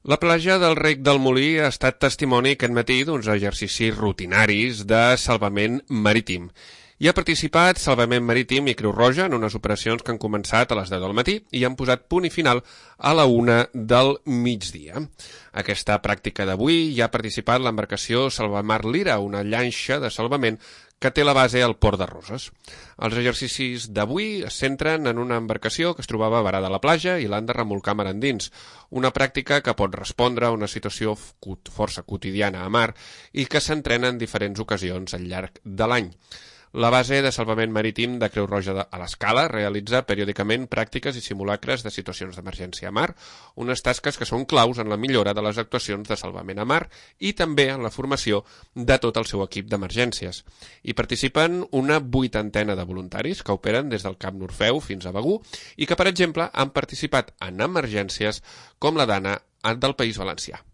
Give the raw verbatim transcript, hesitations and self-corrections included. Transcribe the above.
La platja del Rec del Molí ha estat testimoni aquest matí d'uns exercicis rutinaris de salvament marítim. Hi ha participat Salvament Marítim i Creu Roja en unes operacions que han començat a les deu del matí i han posat punt i final a la una del migdia. Aquesta pràctica d'avui hi ha participat l'embarcació Salvamar Lira, una llanxa de salvament que té la base al Port de Roses. Els exercicis d'avui es centren en una embarcació que es trobava varada a la platja i l'han de remolcar mar endins, una pràctica que pot respondre a una situació força quotidiana a mar i que s'entrena en diferents ocasions al llarg de l'any. La base de salvament marítim de Creu Roja a l'Escala realitza periòdicament pràctiques i simulacres de situacions d'emergència a mar, unes tasques que són claus en la millora de les actuacions de salvament a mar i també en la formació de tot el seu equip d'emergències. Hi participen una vuitantena de voluntaris que operen des del Camp Norfeu fins a Begur i que, per exemple, han participat en emergències com la d'Anna del País Valencià.